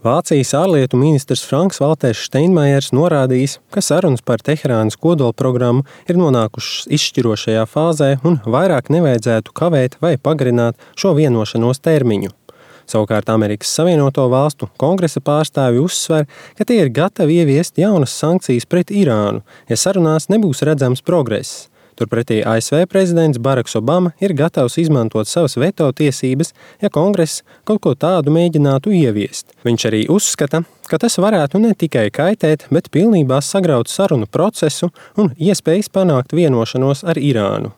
Vācijas ārlietu ministrs Franks Valters Steinmeiers norādījis, ka sarunas par Teherānas kodolprogrammu ir nonākušas izšķirošajā fāzē un vairāk nevajadzētu kavēt vai pagarināt šo vienošanos termiņu. Savukārt Amerikas Savienoto Valstu kongresa pārstāvji uzsver, ka tie ir gatavi ieviest jaunas sankcijas pret Irānu, ja sarunās nebūs redzams progress. Turpretī ASV prezidents Baraks Obama ir gatavs izmantot savas veto tiesības, ja kongress kaut ko tādu mēģinātu ieviest. Viņš arī uzskata, ka tas varētu ne tikai kaitēt, bet pilnībā sagraut sarunu procesu un iespējas panākt vienošanos ar Irānu.